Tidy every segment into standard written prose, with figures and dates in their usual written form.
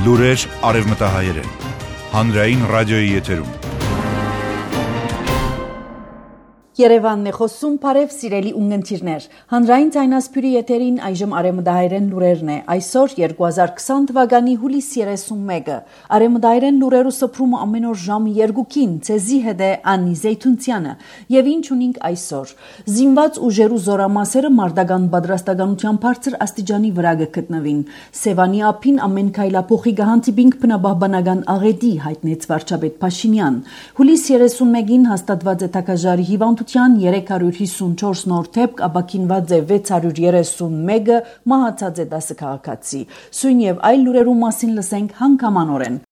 Լուրեր արևմտահայերեն, հանրային ռադիոյի եթերում։ Երևանն է խոսում, բարև սիրելի ունգընտիրներ։ Հանրային ցայնասպյուրի եթերին այժմ արևմտահայերեն լուրերն է։ Այսօր 2020 թվականի հուլիսի 31-ը։ Արևմտահայերեն լուրերու սփռումը ամեն օր ժամը 2-ին ցեզի հետ է Անի Զեյթունցյանը։ Եվ ինչ ունենք այսօր։ Զինված ուժերու զորամասերը մարտական պատրաստականության բարձր աստիճանի վրա գտնվին։ Սևանի ափին ամեն քայլափոխի գահանտիբինք բնաբահբանական աղետի հայտնեց վարչապետ Փաշինյան։ Հուլիսի 31-ին հաստատված է թակաժարի հիվանդության 354 նոր դեպք, ապաքինված է 631-ը, մահացած է 10 քաղաքացի։ Սույն եւ այլ լուրերու մասին լսենք հանգամանորեն։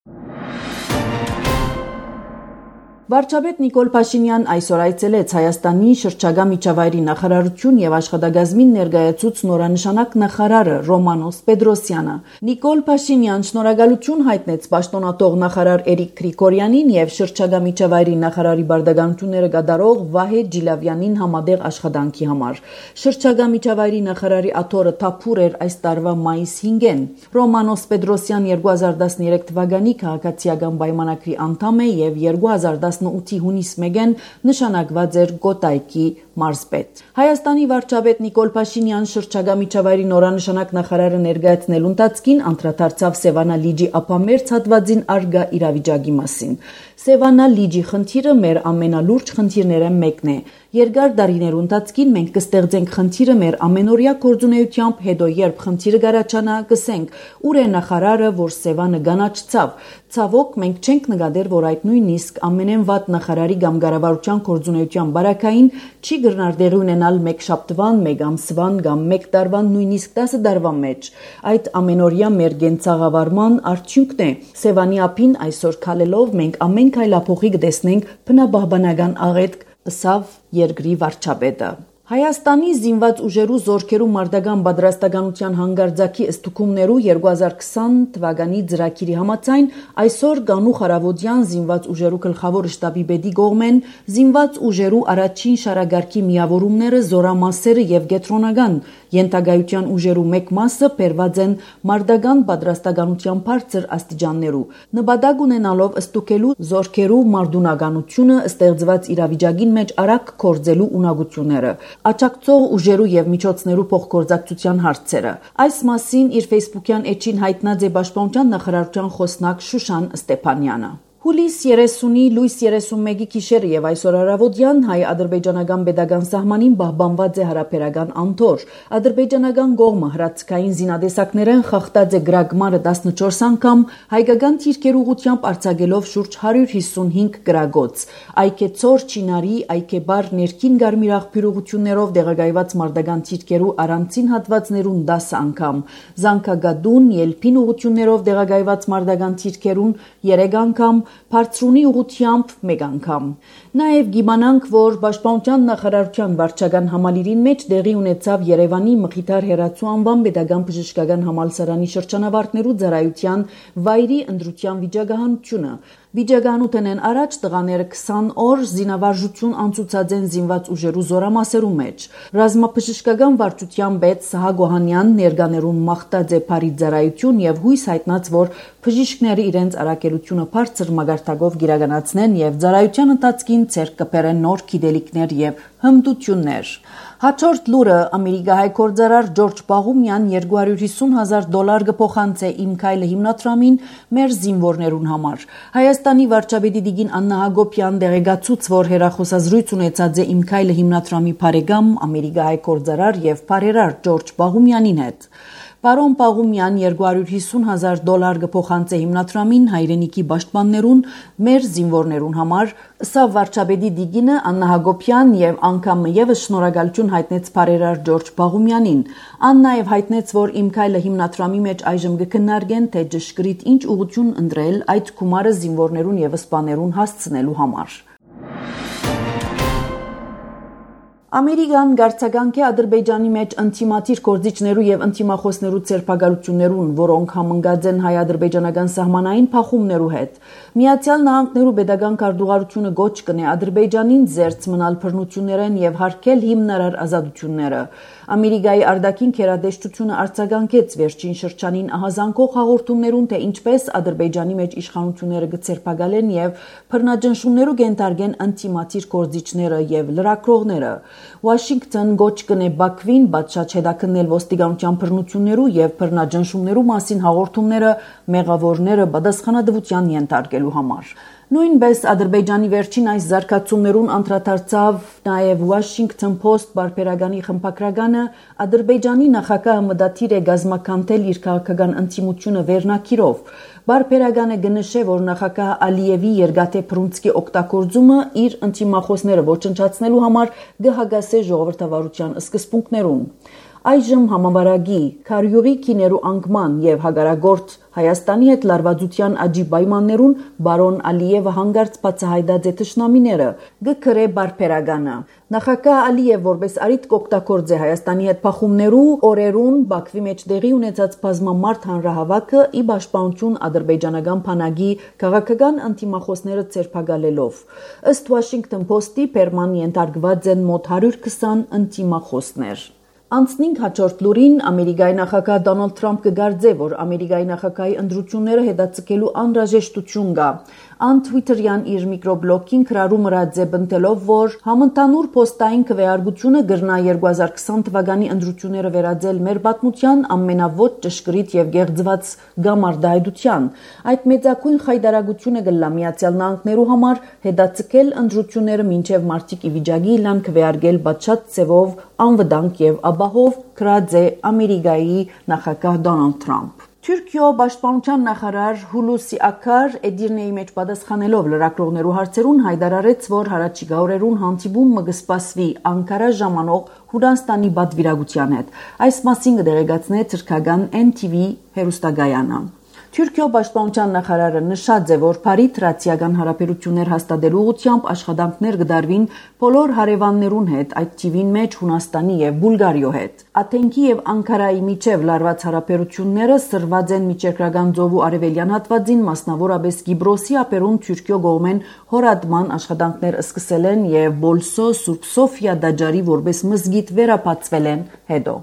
Վարչապետ Նիկոլ Փաշինյան այսօր այցելեց Հայաստանի շրջագա միջավայրի նախարարություն եւ աշխատակազմին ներկայացուց նորանշանակ նախարարը Ռոմանոս Պետրոսյանը։ Նիկոլ Փաշինյան շնորհակալություն հայտնեց պաշտոնատող նախարար Էրիկ Գրիգորյանին եւ շրջագա միջավայրի նախարարի բարդականությունները կատարող Վահե Ջիլավյանին համատեղ աշխատանքի համար։ Շրջագա միջավայրի նախարարի աթոռը թափուր էր այս տարվա մայիս 5-ին։ Ռոմանոս Պետրոսյան 2013 թվականի քաղաքացիական պայմանագրի անդամ է եւ 2018-ի հունիս 1-ին նշանակված էր Գոտայքի մարզպետ։ Հայաստանի վարչապետ Նիկոլ Փաշինյան շրջագա միջավայրի նորանշանակ նախարարը ներկայացնելու ընթացքին անդրադարձավ Սևանա լիճի ափամերձ հատվածին արգա իրավիճակի մասին։ Սևանա լիճի խնդիրը մեր ամենալուրջ խնդիրները մեկն է։ Երկար տարիներու ընթացքին մենք կստեղծենք խնդիրը մեր ամենօրյա գործունեությամբ, հետո երբ խնդիրը գարաչանա, կսենք ուր է նախարարը, որ Սևանը գանաչցավ։ Ցավոք մենք չենք նկատել, որ այդ նույնիսկ ամենեն վատ նախարարի կամ կառավարության գործունեության բարակային չի գրնար դեղի ունենալ մեկ շաբթվան, մեկ ամսվան կամ մեկ տարվան, նույնիսկ 10 տարվա մեջ։ Այդ ամենօրյա մեր գենցաղավարման արդյունքն է։ Սևանի ափին այսօր քալելով մենք ամեն քայլափոխի կտեսնենք բնաբահբանական աղետք, ըսավ երկրի վարչապետը։ Հայաստանի զինված ուժերու զորքերու մարտական պատրաստականության հանգարձակի ըստուկումներու 2020 թվականի ծրագիրի համաձայն այսօր Գանուխ Արավոդյան զինված ուժերու գլխավոր շտաբի պետի կողմեն զինված ուժերու առաջին շարագարկի միավորումները, զորամասերը եւ գետրոնական յենթագայության ուժերու մեկ մասը բերված են մարտական պատրաստականության բարձր աստիճաններու։ Նպատակ ունենալով ըստուկելու զորքերու մարտունականությունը, ստեղծված իրավիճակին մեջ արագ կորձելու ունակությունները, աջակցող ուժերու եւ միջոցներու փոխգործակցության հարցերը։ Այս մասին իր Facebook-յան էջին հայտնած է Պաշտպանության նախարարության խոսնակ Շուշան Ստեփանյանը։ Հուլիս 30-ի լույս 31-ի գիշերը եւ այսօր արավոդյան հայ-ադրբեջանական պետական սահմանին պահպանված է հարաբերական անդոր։ Ադրբեջանական կողմը հրացքային զինադեսակներեն խախտած է գրագմարը 14 անգամ, հայկական թիրքեր ուղությամբ արձակելով շուրջ 155 գրագոց։ Այկեցոր Չինարի, Այկեբար ներքին Գարմիր աղբյուրություններով դեղագայված մարտական թիրքերու առանցին հատվածներուն 10 անգամ, Զանգագադուն, Ելփին ուղություններով դեղագայված մարտական թիրքերուն 3 անգամ, Բարձրունի ուղությամբ մեկ անգամ։ Նաև գիմանանք, որ Պաշտպանության նախարարության վարչական համալիրին մեջ տեղի ունեցավ Երևանի Մխիթար Հերացու անվան պետական բժշկական համալսարանի շրջանավարտներու ծառայության վայրի ընտրության վիճակահանությունը։ Վիճակահանութենեն առաջ տղաները 20 օր զինավարժություն անցուցած են զինված ուժերու զորամասերու մեջ։ Ռազմաբժշկական վարչության պետ Սահակ Օհանյան ներկաներուն մաղթած է բարի ծառայություն եւ հույս հայտնած, որ բժիշկները իրենց արակելությունը բարձր մագարտակով գիրականացնեն եւ ծառայության ընթացքին ցերկ կբերեն նոր գիտելիքներ եւ հմտություններ։ Հաջորդ լուրը ամերիկահայ գործարար Ջորջ Բաղումյան $250,000 կփոխանցե Իմ քայլը հիմնադրամին մեր զինվորներուն համար։ Հայաստանի վարչապետի Տիկին Աննա Հակոբյան դեղեկացուց, որ հերախոսազրույց ունեցած է Իմ քայլը հիմնադրամի բարեկամ ամերիկահայ գործարար եւ բարերար Ջորջ Բաղումյանին հետ։ Պարոն Պաղումյան $250,000 կփոխանցե հիմնադրամին հայրենիքի պաշտպաններուն, մեր զինվորներուն համար, ըստ վարչապետի Տիկինը Աննա Հակոբյան եւ անգամ եւս շնորհակալություն հայտնեց բարերար Ջորջ Բաղումյանին։ Ան նաեւ հայտնեց, որ Իմ քայլը հիմնադրամի մեջ այժմ կքննարկեն, թե ճշգրիտ ինչ ուղղություն ընտրել այդ գումարը զինվորներուն եւ սպաներուն հասցնելու համար։ Ամերիկան գարցականք է Ադրբեջանի մեջ ընտիմատիր գործիչներու եւ ընտիմախոսներու ցերպակալություններուն, որոնք համընկած են հայ-ադրբեջանական սահմանային փախումներու հետ։ Միացյալ Նահանգներու pedagogan քարտուղարությունը գոչ կնե Ադրբեջանին զերծ մնալ բռնություններեն եւ հարգել հիմնարար ազատությունները։ Ամերիկայի արտաքին քերադեշտությունը արձագանքեց վերջին շրջանին ահազանգող հաղորդումներուն, թե ինչպես Ադրբեջանի մեջ իշխանությունները կցերպակալեն եւ բռնաճնշումներու կենտարգեն ընտիմատիր գործիչները եւ լրակրողները։ Վաշինգտոն գոչ կնե Բաքվին բացած հետաքննել ոստիկանության բռնություններու եւ բռնաճնշումներու մասին հաղորդումները մեղավորները պատասխանատվության ենթարկելու համար։ Նույնպես Ադրբեջանի վերջին այս զարգացումներուն անդրադարձավ նաև Washington Post բարբերականի խմբագրականը Ադրբեջանի նախագահը մտադիր է գազմականտել իր քաղաքական ընտիմությունը վերնակիրով։ Բարբերականը գնշե, որ նախագահ Ալիևի երկաթե բռունցքի օգտագործումը իր ընտիմախոսները ոչնչացնելու համար կհագասե ժողովրդավարության սկզբունքներուն։ Այժմ համավարակի, քարյուղի քիներու անկման եւ հագարագործ Հայաստանի հետ լարվածության աճի պայմաններուն բարոն Ալիևը հանգարց բացահայտած է թշնամիները, գկրե բարբերականը։ Նախագահ Ալիև որպես արիտ կօգտագործե Հայաստանի հետ փախումներու օրերուն Բաքվի մեջ տեղի ունեցած բազմամարդ հանրահավաքը ի պաշտպանություն ադրբեջանական բանակի քաղաքական ընտիմախոսները ցերպակալելով։ Ըստ Washington Post-ի Պերման ենթարկված են մոտ 120 ընտիմախոսներ։ Անցնինք հաջորդ լուրին Ամերիկայի նախագահ Դոնալդ Թրամփ կգարձե, որ Ամերիկայի նախագահի ընտրությունները հետաձգելու անհրաժեշտություն կա։ Ան Twitter-յան իր միկրոբլոգին քրարու մրած է բնտելով, որ համընդհանուր փոստային քվեարկությունը գրնա 2020 թվականի ընտրությունները վերածել մեր պատմության ամենավոճ ճշգրիտ եւ գեղձված գամարտահայտության։ Այդ մեծակույն խայտարագությունը գլա Միացյալ Նահանգներու համար հետաձգել ընտրությունները մինչեւ մարտիկ ի վիճակի լան քվեարկել բացած ծևով անվտանգ եւ ապահով գրած է Ամերիկայի նախագահ Դոնալդ Թրամփ։ Թուրքիո պաշտպանության նախարար Հուլուսի Ակար Էդիրնեի մեջ պատասխանելով լրակրողներու հարցերուն հայտարարեց, որ հարաճիգա օրերուն հանդիպումը կսպասվի Անկարա ժամանող Հունաստանի պատվիրակության հետ։ Այս մասին կդեղեկացնե թուրքական NTV հեռուստակայանը։ Թուրքիո պաշտպանության նախարարը նշած է, որ Փարի-Թրացիական հարաբերություններ հաստատելու ուղղությամբ աշխատանքներ կդարվին բոլոր հարևաններուն հետ, այդ թիվին մեջ Հունաստանի եւ Բուլղարիո հետ։ Աթենքի եւ Անկարայի միջև լարված հարաբերությունները սրված են միջերկրական ծովու արևելյան հատվածին, մասնավորապես Կիպրոսի ափերուն Թուրքիո կողմեն հորատման աշխատանքներ սկսել են եւ Բոլսո Սուրբ Սոֆիա դաջարի որպես մզգիթ վերապացվել են հետո։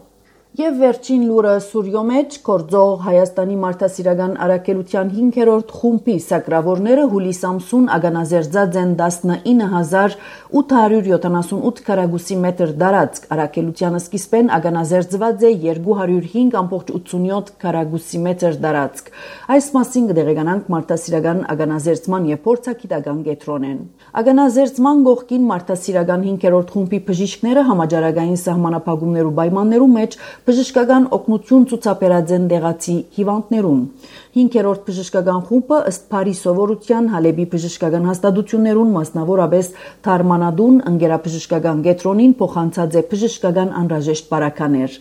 Եվ վերջին լուրը Սուրիո մեջ կորձող Հայաստանի մարդասիրական առաքելության 5-րդ խումբի սակրավորները հուլիս ամսուն ագանազերծած են 19878 քառակուսի մետր դարածք, առաքելությանը սկիզբեն ագանազերծված է 205.87 քառակուսի մետր դարածք։ Այս մասին կդեղեկանանք մարդասիրական ագանազերծման եւ փորձագիտական կենտրոնեն։ Ագանազերծման գողքին մարդասիրական 5-րդ խումբի բժիշկները համաճարակային սահմանափակումներու պայմաններու մեջ բժշկական օգնություն ցուցաբերած են դեղացի հիվանդներուն։ 5-րդ բժշկական խումբը ըստ Փարի սովորության Հալեբի բժշկական հաստատություններուն, մասնավորապես Թարմանադուն ընկերաբժշկական կենտրոնին փոխանցած է բժշկական անհրաժեշտ բարականեր։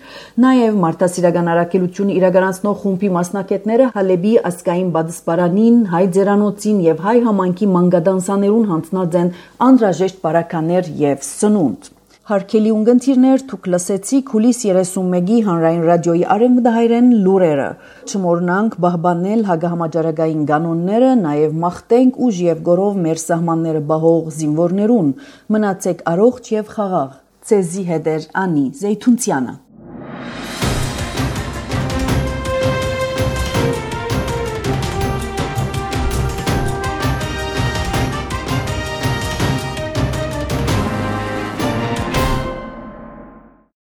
Նաև մարդասիրական առաքելությունը իրականացնող խումբի մասնակիցները Հալեբի ասկային բադսպարանին, հայ ձերանոցին եւ հայ համայնքի մանկադանսաներուն հանձնած են անհրաժեշտ բարականեր եւ սնունդ։ Հարկելի ունգընթիրներ դուք լսեցիք հուլիս 31-ի հանրային ռադիոյի արևմտահայերեն լուրերը։ Չմոռնանք պահպանել հագահամաճարակային կանոնները, նաև մաղթենք ուժ եւ գորով մեր սահմանները բահող զինվորներուն։ Մնացեք առողջ եւ խաղաղ։ Ցեզի հետ է Անի Զեյթունցյանը։